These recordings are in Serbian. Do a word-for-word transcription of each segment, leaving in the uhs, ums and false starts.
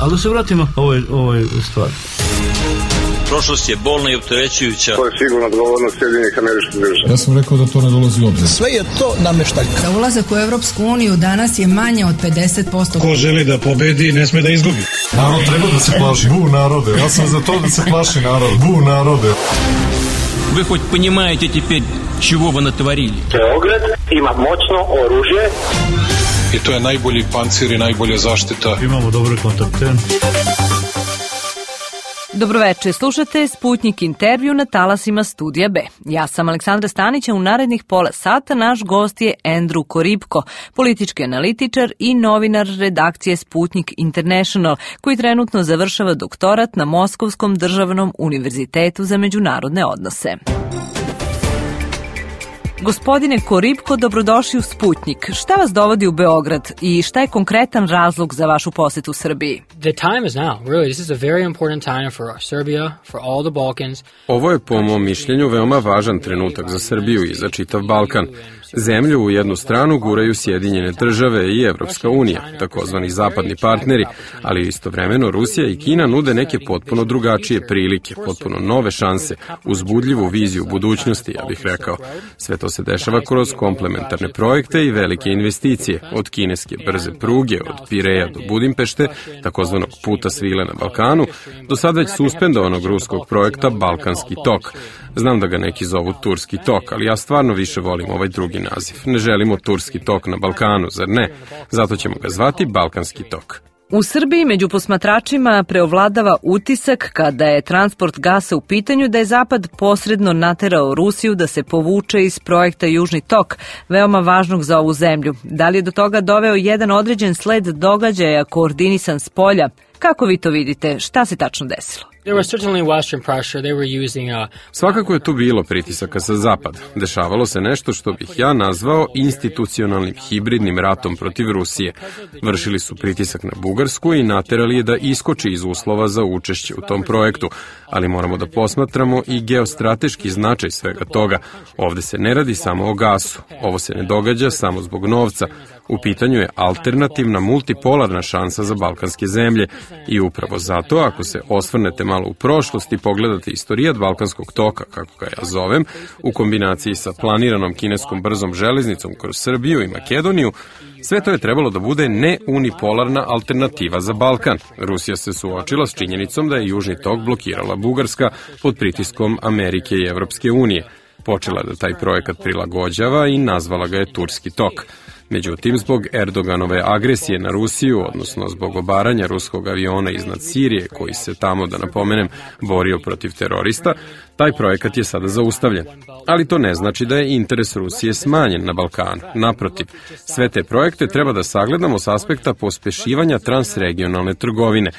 Ali da se vratimo ovoj, ovoj stvari. Prošlost je bolna i opterećujuća. To je sigurno odgovornost Sjedinjenih Američkih Država. Ja sam rekao da to ne dolazi u obzir. Sve je to nameštaljka. Za ulazak u Evropsku uniju danas je manje od pedeset posto. Ko želi da pobedi, ne sme da izgubi. Narod treba da se plaši. Bu narode. Ja sam za to da se plaši narod. Bu narode. Вы хоть понимаете теперь, чего вы натворили? Beograd ima moćno oružje. I to je najbolji pancir i najbolja zaštita. Imamo dobre kontakte. Dobroveče, slušate Sputnik intervju na talasima Studija B. Ja sam Aleksandra Stanić, a u narednih pola sata naš gost je Andrew Koribko, politički analitičar i novinar redakcije Sputnik International, koji trenutno završava doktorat na Moskovskom državnom univerzitetu za međunarodne odnose. Gospodine Koribko, dobrodošli u Sputnik. Šta vas dovodi u Beograd i šta je konkretan razlog za vašu posetu Srbiji? The time is now. Really, this is a very important time for Serbia, for all the Balkans. Ovo je po mom mišljenju veoma važan trenutak za Srbiju i za čitav Balkan. Zemlju u jednu stranu guraju Sjedinjene države i Evropska unija, takozvani zapadni partneri, ali istovremeno Rusija i Kina nude neke potpuno drugačije prilike, potpuno nove šanse, uzbudljivu viziju budućnosti, ja bih rekao. Sve to se dešava kroz komplementarne projekte i velike investicije, od kineske brze pruge, od Pireja do Budimpešte, takozvanog puta svile na Balkanu, do sad već suspendovanog ruskog projekta Balkanski tok. Znam da ga neki zovu Turski tok, ali ja stvarno više volim ovaj drugi naziv. Ne želimo Turski tok na Balkanu, zar ne? Zato ćemo ga zvati Balkanski tok. U Srbiji među posmatračima preovladava utisak kada je transport gasa u pitanju da je Zapad posredno naterao Rusiju da se povuče iz projekta Južni tok, veoma važnog za ovu zemlju. Da li je do toga doveo jedan određen sled događaja koordinisan s polja? Kako vi to vidite? Šta se tačno desilo? Svakako je tu bilo pritisaka sa zapada. Dešavalo se nešto što bih ja nazvao institucionalnim hibridnim ratom protiv Rusije. Vršili su pritisak na Bugarsku i naterali je da iskoči iz uslova za učešće u tom projektu. Ali moramo da posmatramo i geostrateški značaj svega toga. Ovde se ne radi samo o gasu. Ovo se ne događa samo zbog novca. U pitanju je alternativna multipolarna šansa za balkanske zemlje i upravo zato, ako se osvrnete malo u prošlost i pogledate istorijat Balkanskog toka, kako ga ja zovem, u kombinaciji sa planiranom kineskom brzom železnicom kroz Srbiju i Makedoniju, sve to je trebalo da bude neunipolarna alternativa za Balkan. Rusija se suočila s činjenicom da je Južni tok blokirala Bugarska pod pritiskom Amerike i Evropske unije. Počela da taj projekat prilagođava i nazvala ga je Turski tok. Međutim, zbog Erdoganove agresije na Rusiju, odnosno zbog obaranja ruskog aviona iznad Sirije, koji se tamo, da napomenem, borio protiv terorista, taj projekat je sada zaustavljen. Ali to ne znači da je interes Rusije smanjen na Balkanu. Naprotiv, sve te projekte treba da sagledamo s aspekta pospešivanja transregionalne trgovine.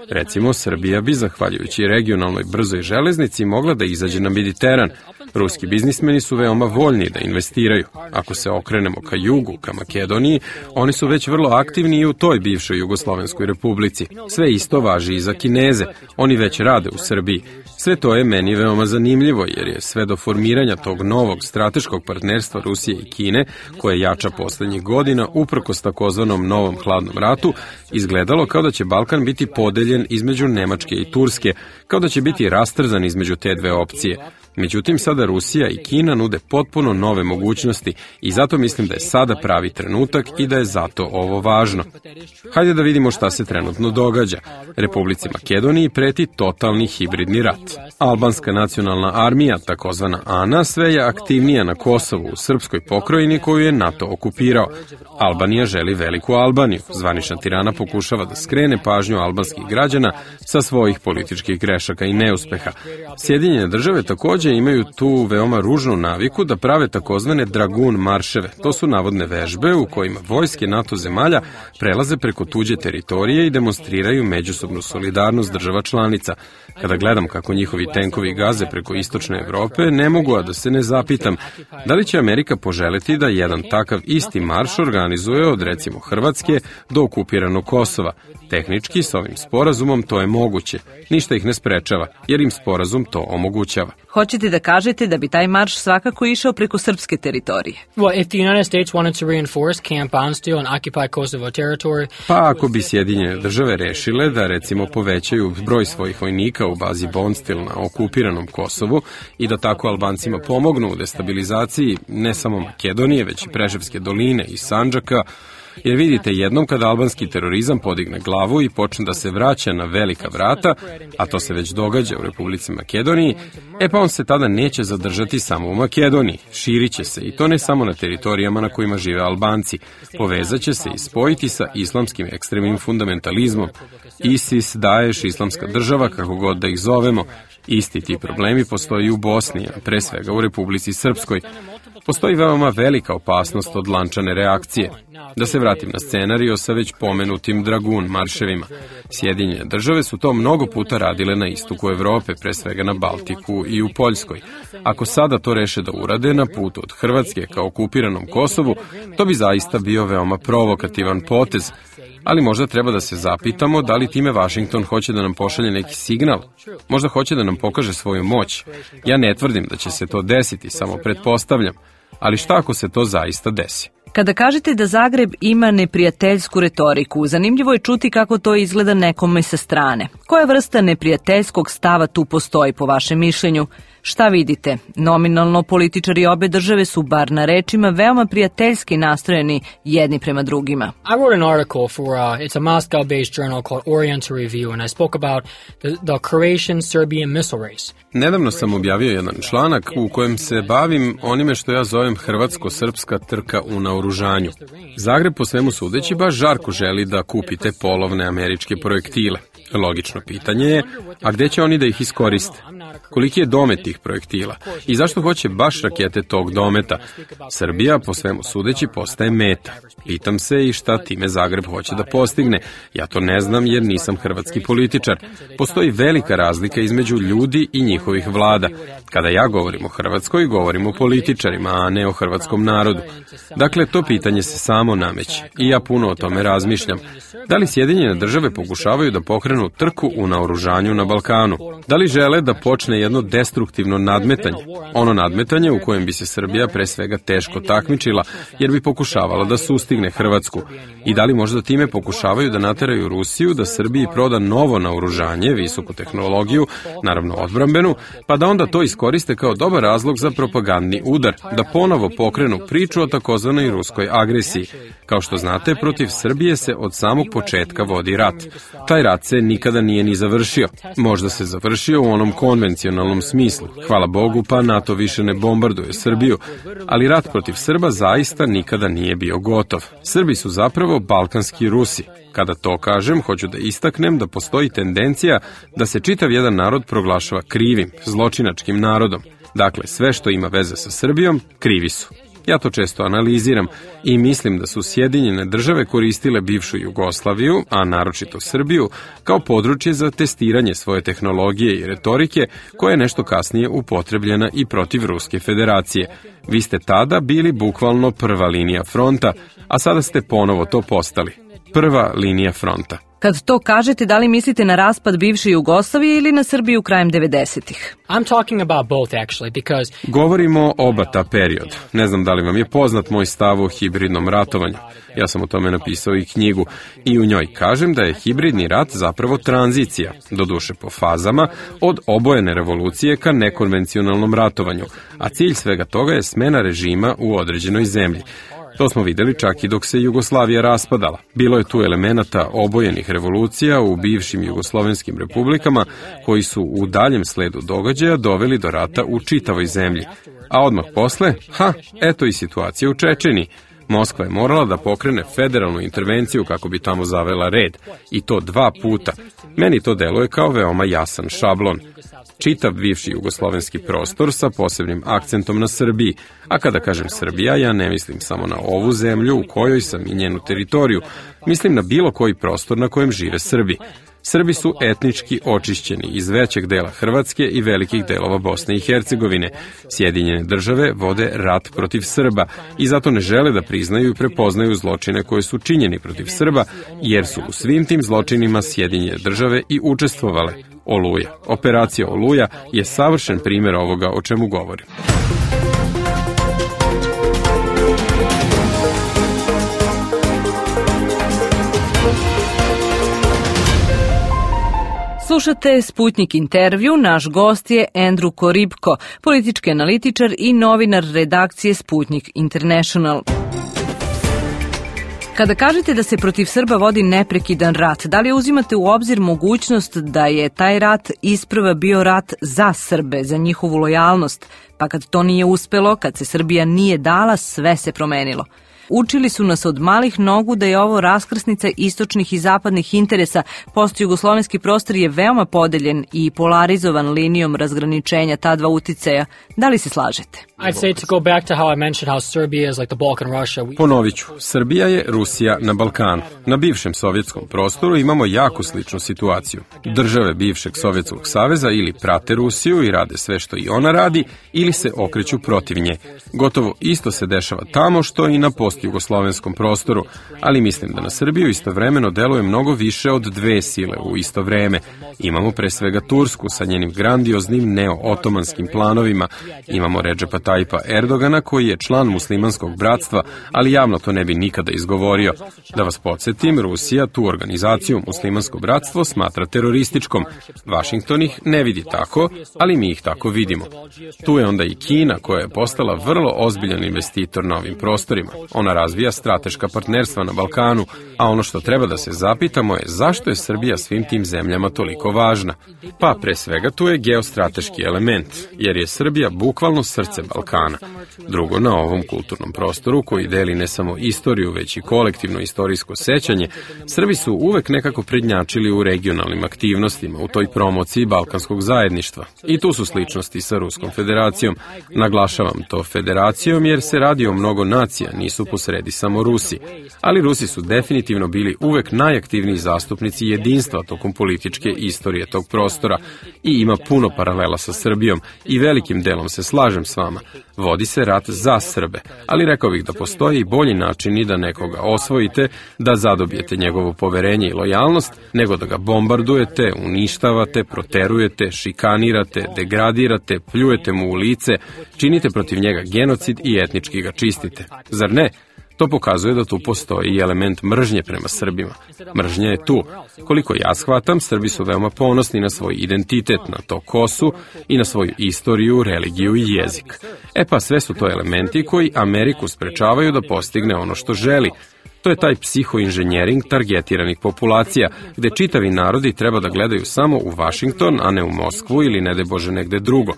Recimo, Srbija bi, zahvaljujući regionalnoj brzoj železnici, mogla da izađe na Mediteran. Ruski biznismeni su veoma voljni da investiraju. Ako se okrenemo ka jugu, ka Makedoniji, oni su već vrlo aktivni i u toj bivšoj Jugoslovenskoj republici. Sve isto važi i za Kineze. Oni već rade u Srbiji. Sve to je meni veoma zanimljivo, jer je sve do formiranja tog novog strateškog partnerstva Rusije i Kine, koje jača poslednjih godina, uprkos takozvanom novom hladnom ratu, izgledalo kao da će Balkan biti podeljen između Nemačke i Turske, kao da će biti rastrzan između te dve opcije. Međutim, sada Rusija i Kina nude potpuno nove mogućnosti i zato mislim da je sada pravi trenutak i da je zato ovo važno. Hajde da vidimo šta se trenutno događa. Republici Makedoniji preti totalni hibridni rat. Albanska nacionalna armija, takozvana ANA, sve je aktivnija na Kosovu, u srpskoj pokrajini koju je NATO okupirao. Albanija želi veliku Albaniju. Zvanična Tirana pokušava da skrene pažnju albanskih građana sa svojih političkih grešaka i neuspeha. Sjedinjene države takođe imaju tu veoma ružnu naviku da prave takozvane dragun marševe. To su navodne vežbe u kojima vojske NATO zemalja prelaze preko tuđe teritorije i demonstriraju međusobnu solidarnost država članica. Kada gledam kako njihovi tenkovi gaze preko istočne Evrope, ne mogu a da se ne zapitam da li će Amerika poželeti da jedan takav isti marš organizuje od recimo Hrvatske do okupiranog Kosova. Tehnički, s ovim sporazumom to je moguće. Ništa ih ne sprečava, jer im sporazum to omogućava. Hoće ćete da kažete da bi taj marš svakako išao preko srpske teritorije? Well, if the United States wanted to reinforce Camp Bondsteel and occupy Kosovo territory... Pa ako bi Sjedinjene države rešile da recimo povećaju broj svojih vojnika u bazi Bondsteel na okupiranom Kosovu i da tako Albancima pomognu u destabilizaciji ne samo Makedonije, već i Preševske doline i Sandžaka, jer vidite, jednom kada albanski terorizam podigne glavu i počne da se vraća na velika vrata, a to se već događa u Republici Makedoniji, e pa on se tada neće zadržati samo u Makedoniji, širit će se i to ne samo na teritorijama na kojima žive Albanci, povezat će se i spojiti sa islamskim ekstremnim fundamentalizmom, ISIS, Daesh, islamska država, kako god da ih zovemo. Isti ti problemi postoji u Bosni, a pre svega u Republici Srpskoj. Postoji veoma velika opasnost od lančane reakcije. Da se vratim na scenario sa već pomenutim Dragun marševima. Sjedinjene države su to mnogo puta radile na istoku Evrope, pre svega na Baltiku i u Poljskoj. Ako sada to reše da urade na putu od Hrvatske ka okupiranom Kosovu, to bi zaista bio veoma provokativan potez. Ali možda treba da se zapitamo da li time Washington hoće da nam pošalje neki signal. Možda hoće da nam pokaže svoju moć. Ja ne tvrdim da će se to desiti, samo pretpostavljam. Ali šta ako se to zaista desi? Kada kažete da Zagreb ima neprijateljsku retoriku, zanimljivo je čuti kako to izgleda nekome sa strane. Koja vrsta neprijateljskog stava tu postoji po vašem mišljenju? Šta vidite? Nominalno političari obe države su, bar na rečima, veoma prijateljski nastrojeni jedni prema drugima. I wrote an article for, uh, it's a Moscow-based journal called Oriental Review, and I spoke about the, the Croatian-Serbian missile race. Nedavno sam objavio jedan članak u kojem se bavim onime što ja zovem hrvatsko-srpska trka u naoružanju. Zagreb po svemu sudeći baš žarko želi da kupi te polovne američke projektile. Logično pitanje je, a gde će oni da ih iskoriste? Koliki je domet tih projektila? I zašto hoće baš rakete tog dometa? Srbija, po svemu sudeći, postaje meta. Pitam se i šta time Zagreb hoće da postigne. Ja to ne znam jer nisam hrvatski političar. Postoji velika razlika između ljudi i njihovih vlada. Kada ja govorim o Hrvatskoj, govorim o političarima, a ne o hrvatskom narodu. Dakle, to pitanje se samo nameće. I ja puno o tome razmišljam. Da li Sjedinjene države pokušavaju da pokrenu trku u naoružanju na Balkanu? Da li žele da počne jedno destruktivno nadmetanje? Ono nadmetanje u kojem bi se Srbija pre svega teško takmičila, jer bi pokušavala da sustigne Hrvatsku. I da li možda time pokušavaju da nateraju Rusiju da Srbiji proda novo naoružanje, visoku tehnologiju, naravno odbrambenu, pa da onda to iskoriste kao dobar razlog za propagandni udar, da ponovo pokrenu priču o takozvanoj ruskoj agresiji. Kao što znate, protiv Srbije se od samog početka vodi rat. Taj rat se nikada nije ni završio. Možda se završio u onom konvencionalnom smislu. Hvala Bogu, pa NATO više ne bombarduje Srbiju. Ali rat protiv Srba zaista nikada nije bio gotov. Srbi su zapravo balkanski Rusi. Kada to kažem, hoću da istaknem da postoji tendencija da se čitav jedan narod proglašava krivim, zločinačkim narodom. Dakle, sve što ima veze sa Srbijom, krivi su. Ja to često analiziram i mislim da su Sjedinjene države koristile bivšu Jugoslaviju, a naročito Srbiju, kao područje za testiranje svoje tehnologije i retorike, koja je nešto kasnije upotrebljena i protiv Ruske federacije. Vi ste tada bili bukvalno prva linija fronta, a sada ste ponovo to postali. Prva linija fronta. Kad to kažete, da li mislite na raspad bivše Jugoslavije ili na Srbiju krajem devedesetih? I'm talking about both actually because Govorimo oba ta period. Ne znam da li vam je poznat moj stav o hibridnom ratovanju. Ja sam o tome napisao i knjigu i u njoj kažem da je hibridni rat zapravo tranzicija, doduše po fazama, od obojene revolucije ka nekonvencionalnom ratovanju, a cilj svega toga je smena režima u određenoj zemlji. To smo videli čak i dok se Jugoslavija raspadala. Bilo je tu elemenata obojenih revolucija u bivšim jugoslovenskim republikama koji su u daljem sledu događaja doveli do rata u čitavoj zemlji. A odmah posle, ha, eto i situacija u Čečeniji. Moskva je morala da pokrene federalnu intervenciju kako bi tamo zavela red. I to dva puta. Meni to deluje kao veoma jasan šablon. Čitav bivši jugoslovenski prostor sa posebnim akcentom na Srbiji. A kada kažem Srbija, ja ne mislim samo na ovu zemlju u kojoj sam i njenu teritoriju. Mislim na bilo koji prostor na kojem žive Srbi. Srbi su etnički očišćeni iz većeg dela Hrvatske i velikih delova Bosne i Hercegovine. Sjedinjene države vode rat protiv Srba i zato ne žele da priznaju i prepoznaju zločine koje su činjeni protiv Srba, jer su u svim tim zločinima Sjedinjene države i učestvovale. Oluja. Operacija Oluja je savršen primjer ovoga o čemu govorim. Slušate Sputnik intervju, naš gost je Andrew Koribko, politički analitičar i novinar redakcije Sputnik International. Kada kažete da se protiv Srba vodi neprekidan rat, da li uzimate u obzir mogućnost da je taj rat isprva bio rat za Srbe, za njihovu lojalnost, pa kad to nije uspelo, kad se Srbija nije dala, sve se promenilo? Učili su nas od malih nogu da je ovo raskrsnica istočnih i zapadnih interesa. Postjugoslovenski prostor je veoma podeljen i polarizovan linijom razgraničenja ta dva uticaja. Da li se slažete? I'd say to go back to how I mentioned how Serbia is like the Balkan Russia. Ponovit ću, Srbija je Rusija na Balkanu. Na bivšem sovjetskom prostoru imamo jako sličnu situaciju. Države bivšeg Sovjetskog saveza ili prate Rusiju i rade sve što i ona radi, ili se okreću protiv nje. Gotovo isto se dešava tamo što i na postjugoslovenskom prostoru, ali mislim da na Srbiju istovremeno deluje mnogo više od dve sile u isto vreme. Imamo pre svega Tursku sa njenim grandioznim neo-otomanskim planovima, imamo Redžepa Tajpa Erdogana koji je član muslimanskog bratstva, ali javno to ne bi nikada izgovorio. Da vas podsjetim, Rusija tu organizaciju muslimansko bratstvo smatra terorističkom. Vašington ih ne vidi tako, ali mi ih tako vidimo. Tu je onda i Kina koja je postala vrlo ozbiljan investitor na ovim prostorima. Ona razvija strateška partnerstva na Balkanu, a ono što treba da se zapitamo je zašto je Srbija svim tim zemljama toliko važna. Pa pre svega tu je geostrateški element, jer je Srbija bukvalno srce Balkana. Drugo, na ovom kulturnom prostoru koji deli ne samo istoriju, već i kolektivno istorijsko sećanje, Srbi su uvek nekako prednjačili u regionalnim aktivnostima, u toj promociji balkanskog zajedništva. I tu su sličnosti sa Ruskom federacijom. Naglašavam to federacijom jer se radi o mnogo nacija, nisu posredi samo Rusi. Ali Rusi su definitivno bili uvek najaktivniji zastupnici jedinstva tokom političke istorije tog prostora i ima puno paralela sa Srbijom i velikim delom se slažem s vama. Vodi se rat za Srbe, ali rekao bih da postoji i bolji način i da nekoga osvojite, da zadobijete njegovo poverenje i lojalnost, nego da ga bombardujete, uništavate, proterujete, šikanirate, degradirate, pljujete mu u lice, činite protiv njega genocid i etnički ga čistite. Zar ne? To pokazuje da tu postoji i element mržnje prema Srbima. Mržnja je tu. Koliko ja shvatam, Srbi su veoma ponosni na svoj identitet, na to ko su i na svoju istoriju, religiju i jezik. E pa sve su to elementi koji Ameriku sprečavaju da postigne ono što želi. To je taj psihoinženjering targetiranih populacija, gde čitavi narodi treba da gledaju samo u Vašington, a ne u Moskvu ili ne daj Bože negde drugo.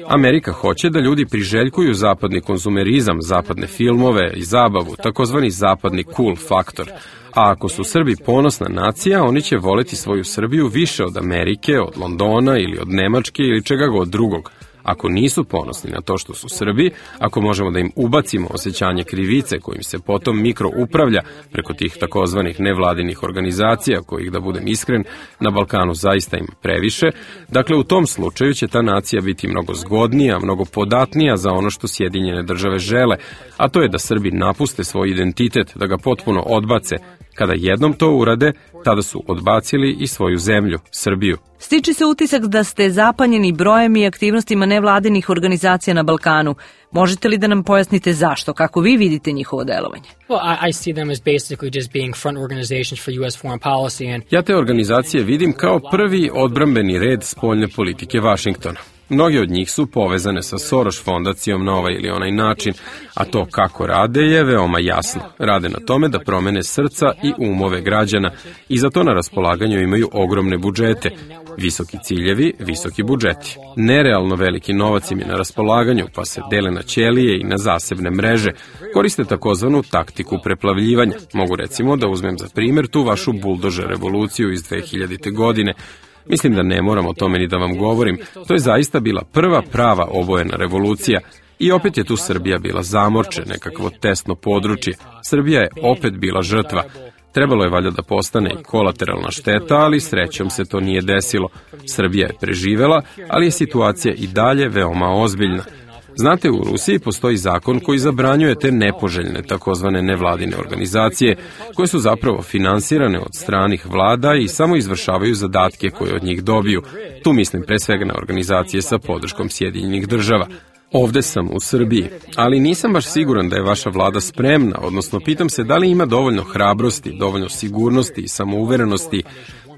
Amerika hoće da ljudi priželjkuju zapadni konzumerizam, zapadne filmove i zabavu, takozvani zapadni cool faktor. A ako su Srbi ponosna nacija, oni će voleti svoju Srbiju više od Amerike, od Londona ili od Nemačke ili čega god drugog. Ako nisu ponosni na to što su Srbi, ako možemo da im ubacimo osjećanje krivice kojim se potom mikro upravlja preko tih takozvanih nevladinih organizacija, kojih, da budem iskren, na Balkanu zaista ima previše, dakle u tom slučaju će ta nacija biti mnogo zgodnija, mnogo podatnija za ono što Sjedinjene države žele, a to je da Srbi napuste svoj identitet, da ga potpuno odbace. Kada jednom to urade, tada su odbacili i svoju zemlju, Srbiju. Stiče se utisak da ste zapanjeni brojem i aktivnostima nevladinih organizacija na Balkanu. Možete li da nam pojasnite zašto, kako vi vidite njihovo delovanje? Well, I, I see them as basically just being front organizations for U S foreign policy and Ja te organizacije vidim kao prvi odbrambeni red spoljne politike Vašingtona. Mnogi od njih su povezane sa Soros fondacijom na ovaj ili onaj način, a to kako rade je veoma jasno. Rade na tome da promene srca i umove građana i za to na raspolaganju imaju ogromne budžete. Visoki ciljevi, visoki budžeti. Nerealno veliki novac im je na raspolaganju, pa se dele na ćelije i na zasebne mreže. Koriste takozvanu taktiku preplavljivanja. Mogu recimo da uzmem za primjer tu vašu buldožer revoluciju iz dve hiljadite. godine. Mislim da ne moram o tome ni da vam govorim. To je zaista bila prva prava obojena revolucija. I opet je tu Srbija bila zamorče, nekakvo tesno područje. Srbija je opet bila žrtva. Trebalo je valjda da postane i kolateralna šteta, ali srećom se to nije desilo. Srbija je preživela, ali je situacija i dalje veoma ozbiljna. Znate, u Rusiji postoji zakon koji zabranjuje te nepoželjne takozvane nevladine organizacije, koje su zapravo finansirane od stranih vlada i samo izvršavaju zadatke koje od njih dobiju. Tu mislim pre svega na organizacije sa podrškom Sjedinjenih država. Ovde sam u Srbiji, ali nisam baš siguran da je vaša vlada spremna, odnosno pitam se da li ima dovoljno hrabrosti, dovoljno sigurnosti i samouverenosti,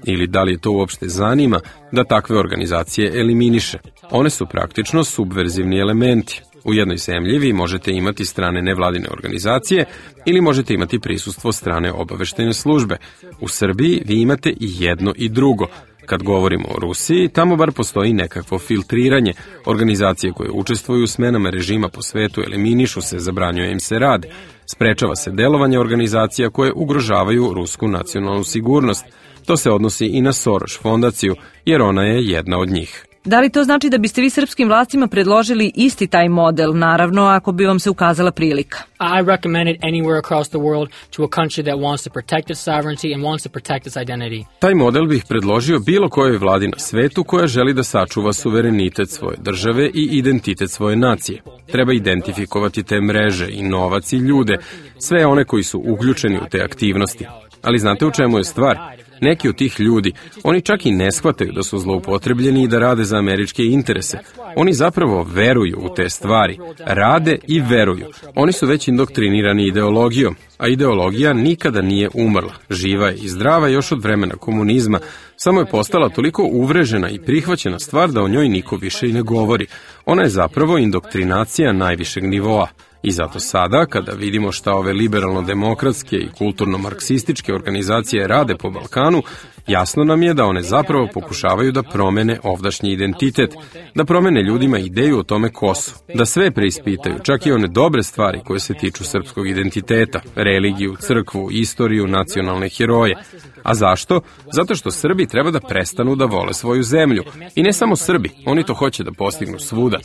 ili da li je to uopšte zanima da takve organizacije eliminiše. One su praktično subverzivni elementi. U jednoj zemlji vi možete imati strane nevladine organizacije ili možete imati prisustvo strane obaveštene službe. U Srbiji vi imate i jedno i drugo. Kad govorimo o Rusiji, tamo bar postoji nekakvo filtriranje. Organizacije koje učestvuju u smenama režima po svetu eliminišu se, zabranjuje im se rad. Sprečava se delovanje organizacija koje ugrožavaju rusku nacionalnu sigurnost. To se odnosi i na Soros fondaciju, jer ona je jedna od njih. Da li to znači da biste vi srpskim vlastima predložili isti taj model, naravno ako bi vam se ukazala prilika? I recommend it anywhere across the world to a country that wants to protect its sovereignty and wants to protect its identity. Taj model bih predložio bilo kojoj vladi na svetu koja želi da sačuva suverenitet svoje države i identitet svoje nacije. Treba identifikovati te mreže i novac i ljude, sve one koji su uključeni u te aktivnosti. Ali znate u čemu je stvar? Neki od tih ljudi, oni čak i ne shvataju da su zloupotrebljeni i da rade za američke interese. Oni zapravo veruju u te stvari, rade i veruju. Oni su već indoktrinirani ideologijom, a ideologija nikada nije umrla. Živa je i zdrava još od vremena komunizma, samo je postala toliko uvrežena i prihvaćena stvar da o njoj niko više i ne govori. Ona je zapravo indoktrinacija najvišeg nivoa. I zato sada, kada vidimo šta ove liberalno-demokratske i kulturno-marksističke organizacije rade po Balkanu, jasno nam je da one zapravo pokušavaju da promene ovdašnji identitet, da promene ljudima ideju o tome ko su, da sve preispitaju, čak i one dobre stvari koje se tiču srpskog identiteta, religiju, crkvu, istoriju, nacionalne heroje. A zašto? Zato što Srbi treba da prestanu da vole svoju zemlju. I ne samo Srbi, oni to hoće da postignu svuda.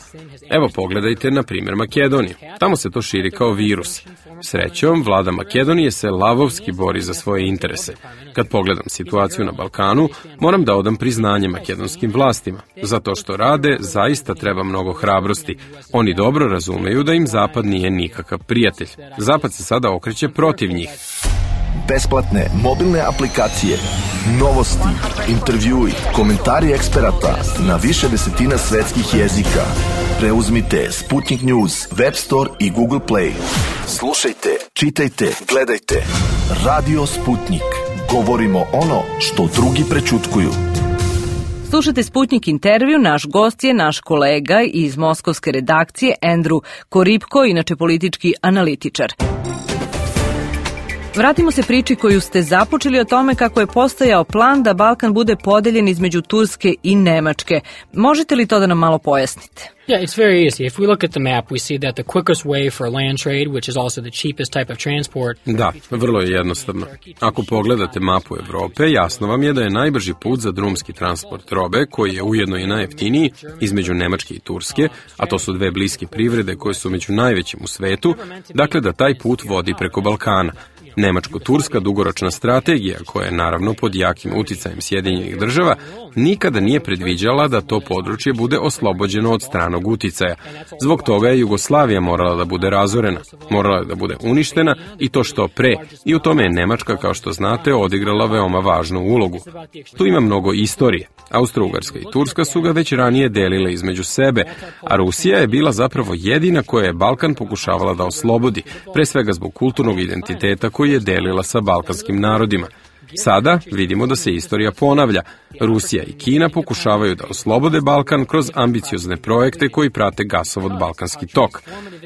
Evo pogledajte na primjer Makedoniju. Tamo se to širi kao virus. Srećom, vlada Makedonije se lavovski bori za svoje interese. Kad pogledam situaciju na Balkanu, moram da odam priznanje makedonskim vlastima. Zato što rade, zaista treba mnogo hrabrosti. Oni dobro razumeju da im Zapad nije nikakav prijatelj. Zapad se sada okreće protiv njih. Besplatne mobilne aplikacije, novosti, intervjui, komentari eksperata na više desetina svetskih jezika. Preuzmite Sputnik News, Web Store i Google Play. Slušajte, čitajte, gledajte. Radio Sputnik. Govorimo ono što drugi prećutkuju. Slušate Sputnik intervju, naš gost je naš kolega iz moskovske redakcije Andrew Koripko, inače politički analitičar. Vratimo se priči koju ste započeli o tome kako je postojao plan da Balkan bude podeljen između Turske i Nemačke. Možete li to da nam malo pojasnite? Yeah, it's very easy. If we look at the map, we see that the quickest way for land trade, which is also the cheapest type of transport. Da, vrlo je jednostavno. Ako pogledate mapu Evrope, jasno vam je da je najbrži put za drumski transport robe, koji je ujedno i najjeftiniji, između Nemačke i Turske, a to su dve bliske privrede koje su među najvećim u svetu, dakle da taj put vodi preko Balkana. Nemačko-turska dugoročna strategija, koja je naravno pod jakim uticajem Sjedinjenih država, nikada nije predviđala da to područje bude oslobođeno od stranog uticaja. Zbog toga je Jugoslavija morala da bude razorena, morala je da bude uništena i to što pre. I u tome je Nemačka, kao što znate, odigrala veoma važnu ulogu. Tu ima mnogo istorije. Austro-Ugarska i Turska su ga već ranije delile između sebe, a Rusija je bila zapravo jedina koja je Balkan pokušavala da oslobodi, pre svega zbog kulturnog identiteta koji je delila sa balkanskim narodima. Sada vidimo da se istorija ponavlja. Rusija i Kina pokušavaju da oslobode Balkan kroz ambiciozne projekte koji prate gasovod Balkanski tok.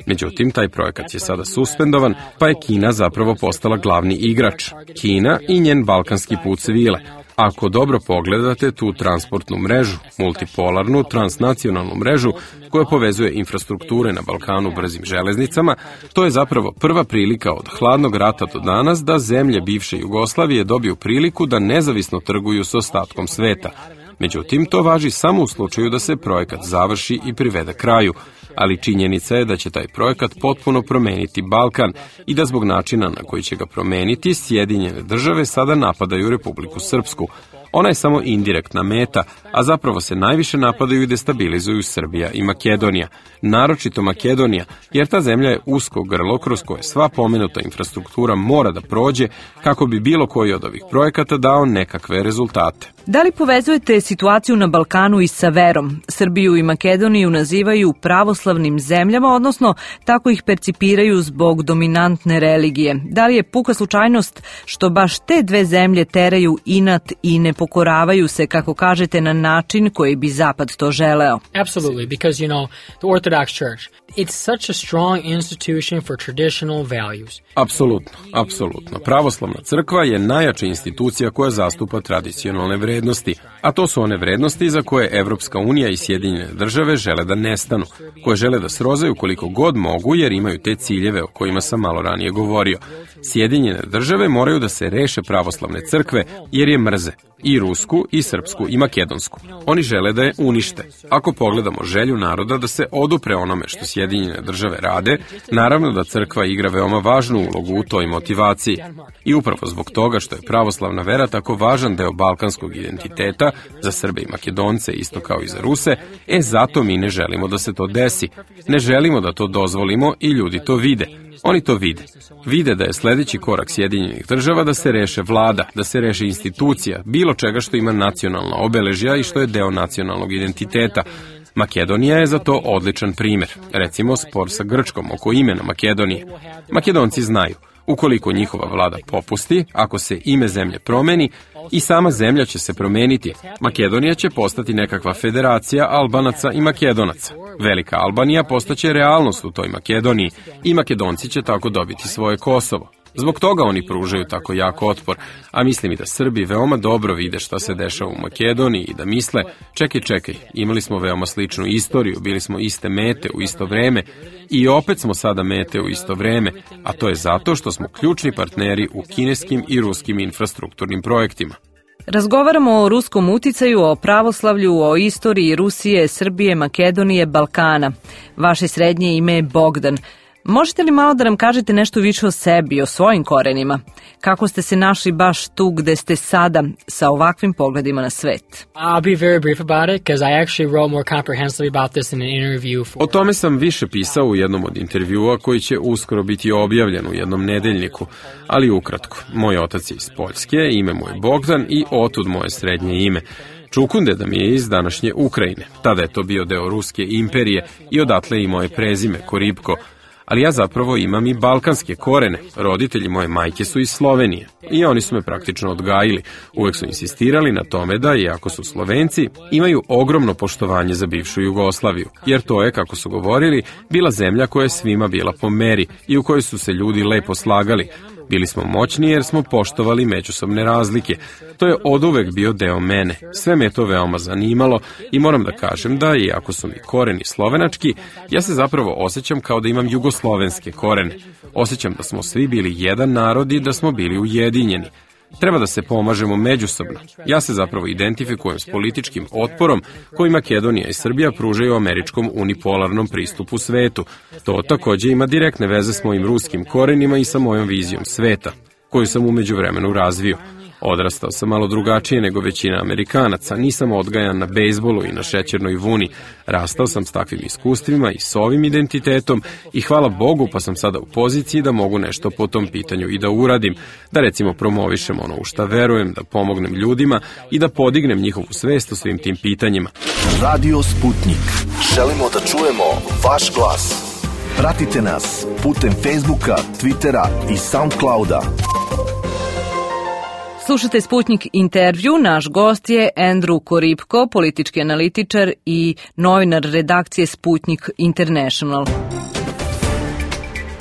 Međutim, taj projekat je sada suspendovan, pa je Kina zapravo postala glavni igrač. Kina i njen balkanski put svile. Ako dobro pogledate tu transportnu mrežu, multipolarnu, transnacionalnu mrežu koja povezuje infrastrukture na Balkanu brzim železnicama, to je zapravo prva prilika od hladnog rata do danas da zemlje bivše Jugoslavije dobiju priliku da nezavisno trguju s ostatkom sveta. Međutim, to važi samo u slučaju da se projekat završi i privede kraju, ali činjenica je da će taj projekat potpuno promeniti Balkan i da zbog načina na koji će ga promeniti Sjedinjene države sada napadaju Republiku Srpsku. Ona je samo indirektna meta, a zapravo se najviše napadaju i destabilizuju Srbija i Makedonija. Naročito Makedonija, jer ta zemlja je usko grlo kroz koje sva pomenuta infrastruktura mora da prođe kako bi bilo koji od ovih projekata dao nekakve rezultate. Da li povezujete situaciju na Balkanu i sa verom? Srbiju i Makedoniju nazivaju pravoslavnim zemljama, odnosno tako ih percipiraju zbog dominantne religije. Da li je puka slučajnost što baš te dve zemlje teraju inat i ne pokoravaju se, kako kažete, na način koji bi Zapad to želeo? Absolutely, because, you know, the Orthodox Church, it's such a strong institution for traditional values. Apsolutno, apsolutno. Pravoslavna crkva je najjača institucija koja zastupa tradicionalne vrednosti, a to su one vrednosti za koje Evropska unija i Sjedinjene države žele da nestanu, koje žele da srozaju koliko god mogu jer imaju te ciljeve o kojima sam malo ranije govorio. Sjedinjene države moraju da se reše pravoslavne crkve jer je mrze, i rusku, i srpsku, i makedonsku. Oni žele da je unište. Ako pogledamo želju naroda da se odupre onome što Sjedinjene države rade, naravno da crkva igra veoma važnu ulogu u toj motivaciji. I upravo zbog toga što je pravoslavna vera tako važan deo balkanskog identiteta za Srbe i Makedonce, isto kao i za Ruse, e zato mi ne želimo da se to desi. Ne želimo da to dozvolimo i ljudi to vide. Oni to vide. Vide da je sledeći korak Sjedinjenih država da se reše vlada, da se reše institucija, bilo čega što ima nacionalna obeležja i što je deo nacionalnog identiteta. Makedonija je za to odličan primer. Recimo spor sa Grčkom oko imena Makedonije. Makedonci znaju, ukoliko njihova vlada popusti, ako se ime zemlje promeni, i sama zemlja će se promeniti. Makedonija će postati nekakva federacija Albanaca i Makedonaca. Velika Albanija postaće realnost u toj Makedoniji i Makedonci će tako dobiti svoje Kosovo. Zbog toga oni pružaju tako jak otpor, a mislim i da Srbi veoma dobro vide šta se dešava u Makedoniji i da misle, čekaj, čekaj, imali smo veoma sličnu istoriju, bili smo iste mete u isto vreme i opet smo sada mete u isto vreme, a to je zato što smo ključni partneri u kineskim i ruskim infrastrukturnim projektima. Razgovaramo o ruskom uticaju, o pravoslavlju, o istoriji Rusije, Srbije, Makedonije, Balkana. Vaše srednje ime je Bogdan. Možete li malo da nam kažete nešto više o sebi, o svojim korenima? Kako ste se našli baš tu gde ste sada sa ovakvim pogledima na svet? I'll be very brief about it, because I actually wrote more comprehensively about this in an interview for... O tome sam više pisao u jednom od intervjua koji će uskoro biti objavljen u jednom nedeljniku, ali ukratko. Moj otac je iz Poljske, ime mu je Bogdan i otud moje srednje ime. Čukundeda mi je iz današnje Ukrajine. Tada je to bio deo Ruske imperije i odatle i moje prezime, Koribko. Ali ja zapravo imam i balkanske korene. Roditelji moje majke su iz Slovenije i oni su me praktično odgajili. Uvek su insistirali na tome da, iako su Slovenci, imaju ogromno poštovanje za bivšu Jugoslaviju, jer to je, kako su govorili, bila zemlja koja je svima bila po meri i u kojoj su se ljudi lepo slagali. Bili smo moćni jer smo poštovali međusobne razlike. To je oduvek bio deo mene. Sve me je to veoma zanimalo i moram da kažem da, iako su mi koreni slovenački, ja se zapravo osjećam kao da imam jugoslovenske korene. Osjećam da smo svi bili jedan narod i da smo bili ujedinjeni. Treba da se pomažemo međusobno. Ja se zapravo identifikujem s političkim otporom koji Makedonija i Srbija pružaju američkom unipolarnom pristupu svetu. To takođe ima direktne veze s mojim ruskim korenima i sa mojom vizijom sveta, koju sam umeđu vremenu razvio. Odrastao sam malo drugačije nego većina Amerikanaca, nisam odgajan na bejsbolu i na šećernoj vuni. Rastao sam s takvim iskustvima i s ovim identitetom i hvala Bogu pa sam sada u poziciji da mogu nešto po tom pitanju i da uradim, da recimo promovišem ono u šta verujem, da pomognem ljudima i da podignem njihovu svest o svim tim pitanjima. Radio Sputnik. Želimo da čujemo vaš glas. Pratite nas putem Facebooka, Twittera i Soundclouda. Slušate Sputnik intervju, naš gost je Andrew Koribko, politički analitičar i novinar redakcije Sputnik International.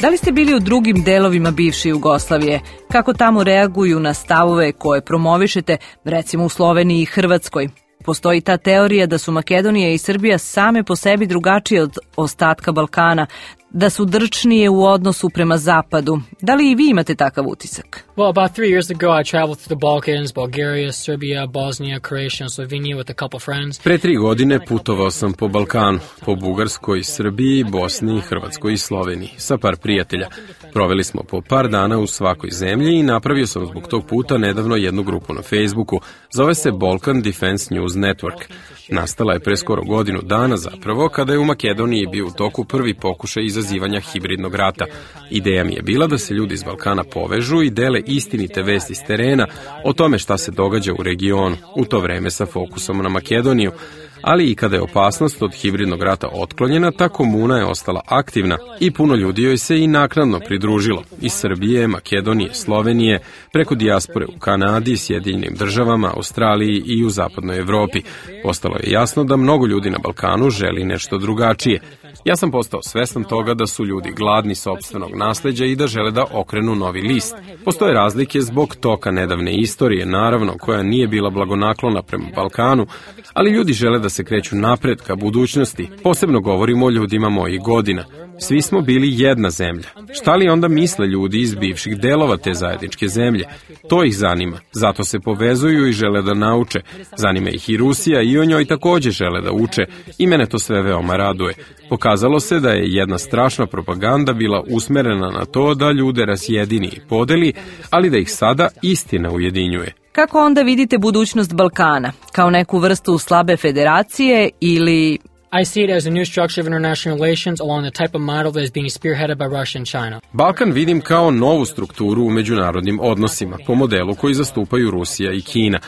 Da li ste bili u drugim delovima bivše Jugoslavije? Kako tamo reaguju na stavove koje promovišete, recimo u Sloveniji i Hrvatskoj? Postoji ta teorija da su Makedonija i Srbija same po sebi drugačije od ostatka Balkana, da su drčnije u odnosu prema zapadu. Da li i vi imate takav utisak? Well, about three years ago I traveled to the Balkans, Bulgaria, Serbia, Bosnia, Croatia and Slovenia with a couple friends. Pre tri godine putovao sam po Balkanu, po Bugarskoj, Srbiji, Bosni, Hrvatskoj i Sloveniji, sa par prijatelja. Proveli smo po par dana u svakoj zemlji i napravio sam zbog tog puta nedavno jednu grupu na Facebooku. Zove se Balkan Defense News Network. Nastala je pre skoro godinu dana zapravo, kada je u Makedoniji bio u toku prvi pokušaj izazivanja hibridnog rata. Ideja mi je bila da se ljudi iz Balkana povežu i dele istinite vesti s terena o tome šta se događa u regionu, u to vreme sa fokusom na Makedoniju. Ali i kada je opasnost od hibridnog rata otklonjena, ta komuna je ostala aktivna i puno ljudi joj se i naknadno pridružilo. Iz Srbije, Makedonije, Slovenije, preko dijaspore u Kanadi, Sjedinjenim državama, Australiji i u zapadnoj Evropi. Postalo je jasno da mnogo ljudi na Balkanu želi nešto drugačije. Ja sam postao svestan toga da su ljudi gladni sopstvenog nasleđa i da žele da okrenu novi list. Postoje razlike zbog toka nedavne istorije, naravno, koja nije bila blagonaklona prema Balkanu, ali ljudi žele da se kreću napred ka budućnosti. Posebno govorimo o ljudima mojih godina. Svi smo bili jedna zemlja. Šta li onda misle ljudi iz bivših delova te zajedničke zemlje? To ih zanima. Zato se povezuju i žele da nauče. Zanima ih i Rusija i o njoj takođe žele da uče. I mene to sve veoma raduje. Pokazalo se da je jedna strašna propaganda bila usmerena na to da ljude razjedini i podeli, ali da ih sada istina ujedinjuje. Kako onda vidite budućnost Balkana? Kao neku vrstu slabe federacije ili... I see it as a new structure of international relations along the type of model that is being spearheaded by Russia and China. Balkan vidim kao novu strukturu u međunarodnim odnosima, po modelu koji zastupaju Rusija i Kina.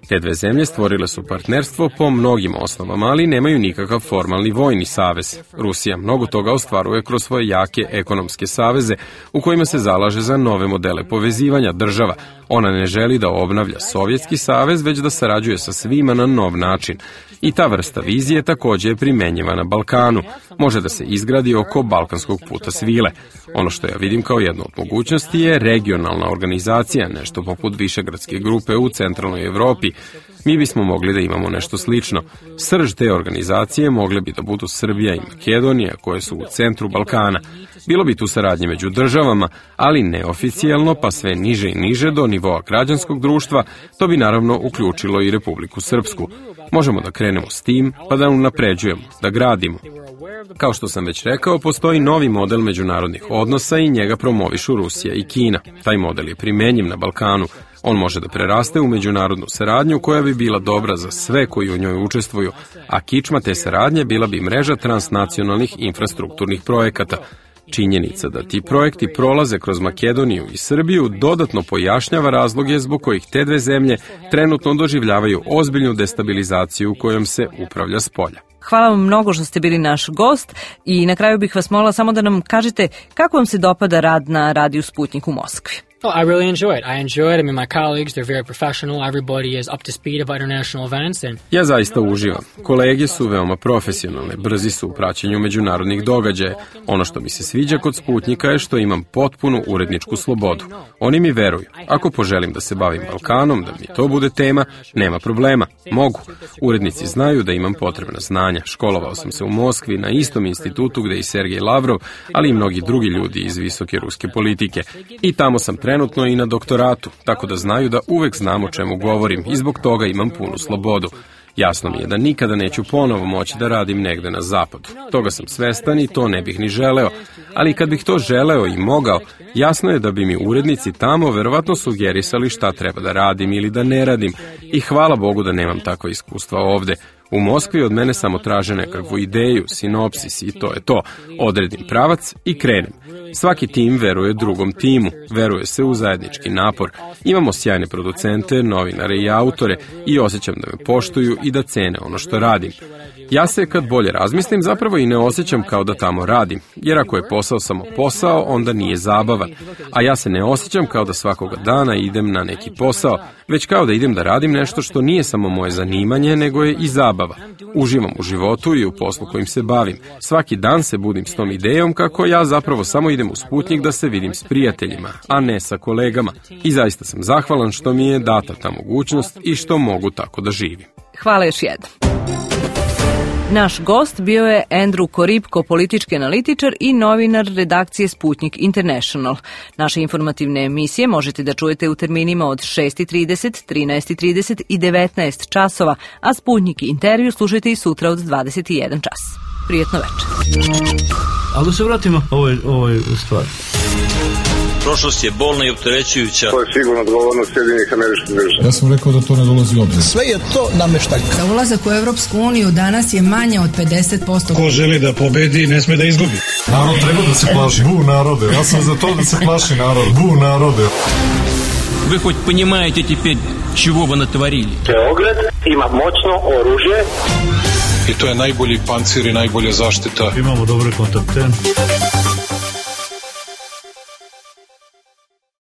Te dve zemlje stvorile su partnerstvo po mnogim osnovama, ali nemaju nikakav formalni vojni savez. Rusija mnogo toga ostvaruje kroz svoje jake ekonomske saveze u kojima se zalaže za nove modele povezivanja država. Ona ne želi da obnavlja Sovjetski savez, već da sarađuje sa svima na nov način. I ta vrsta vizije takođe je primenjiva na Balkanu. Može da se izgradi oko Balkanskog puta svile. Ono što ja vidim kao jednu od mogućnosti je regionalna organizacija, nešto poput Višegradske grupe u centralnoj Evropi. Mi bismo mogli da imamo nešto slično. Srž te organizacije mogle bi da budu Srbija i Makedonija, koje su u centru Balkana. Bilo bi tu saradnje među državama, ali neoficijelno, pa sve niže i niže do nivoa građanskog društva. To bi naravno uključilo i Republiku Srpsku. Možemo da krenemo s tim, pa da unapređujemo, da gradimo. Kao što sam već rekao, postoji novi model međunarodnih odnosa i njega promovišu Rusija i Kina. Taj model je primenjiv na Balkanu. On može da preraste u međunarodnu saradnju koja bi bila dobra za sve koji u njoj učestvuju, a kičma te saradnje bila bi mreža transnacionalnih infrastrukturnih projekata. Činjenica da ti projekti prolaze kroz Makedoniju i Srbiju dodatno pojašnjava razloge zbog kojih te dve zemlje trenutno doživljavaju ozbiljnu destabilizaciju kojom se upravlja s polja. Hvala vam mnogo što ste bili naš gost i na kraju bih vas molila samo da nam kažete kako vam se dopada rad na Radiju Sputnik u Moskvi. Oh, I really enjoy it. I enjoy it. I mean, my colleagues, they're very professional. Everybody is up to speed about international events. And... Ja zaista uživam. Kolege su veoma profesionalne, brzi su u praćenju međunarodnih događaja. Ono što mi se sviđa kod Sputnika je što imam potpunu uredničku slobodu. Oni mi veruju. Ako poželim da se bavim Balkanom, da mi to bude tema, nema problema. Mogu. Urednici znaju da imam potrebna znanja. Školovao sam se u Moskvi na istom institutu gde i Sergej Lavrov, ali i mnogi drugi ljudi iz visoke ruske politike. I tamo sam trenutno i na doktoratu, tako da znaju da uvek znam o čemu govorim i zbog toga imam punu slobodu. Jasno mi je da nikada neću ponovo moći da radim negde na zapadu. Toga sam svestan i to ne bih ni želeo, ali kad bih to želeo i mogao, jasno je da bi mi urednici tamo verovatno sugerisali šta treba da radim ili da ne radim i hvala Bogu da nemam takva iskustva ovde. U Moskvi od mene samo traže nekakvu ideju, sinopsis i to je to. Odredim pravac i krenem. Svaki tim veruje drugom timu, veruje se u zajednički napor. Imamo sjajne producente, novinare i autore i osjećam da me poštuju i da cene ono što radim. Ja se, kad bolje razmislim, zapravo i ne osjećam kao da tamo radim, jer ako je posao samo posao, onda nije zabavan. A ja se ne osjećam kao da svakoga dana idem na neki posao, već kao da idem da radim nešto što nije samo moje zanimanje, nego je i zabava. Uživam u životu i u poslu kojim se bavim. Svaki dan se budim s tom idejom kako ja zapravo samo idem u Sputnik da se vidim s prijateljima, a ne sa kolegama. I zaista sam zahvalan što mi je data ta mogućnost i što mogu tako da živim. Hvala još jednom. Naš gost bio je Andrew Koripko, politički analitičar i novinar redakcije Sputnik International. Naše informativne emisije možete da čujete u terminima od šest i trideset, trinaest i trideset i devetnaest časova, a Sputnik intervju slušajte i sutra od dvadeset i jedan čas. Prijetno večer. Ali da se vratimo ovoj, ovoj stvari. Prošlost je bolna i opterećujuća. To je sigurno odgovornost Sjedinjenih Američkih Država. Ja sam rekao da to ne dolazi u obzir. Sve je to nameštaljka. Za ulazak u Evropsku uniju danas je manje od pedeset posto. Ko želi da pobedi, ne sme da izgubi. Narod treba da se plaši. Bu narode. Ja sam za to da se plaši narod. Bu narode. Вы хоть понимаете теперь, чего вы натворили? Beograd ima moćno oružje. I to je najbolji pancir i najbolja zaštita. Imamo dobre kontakte.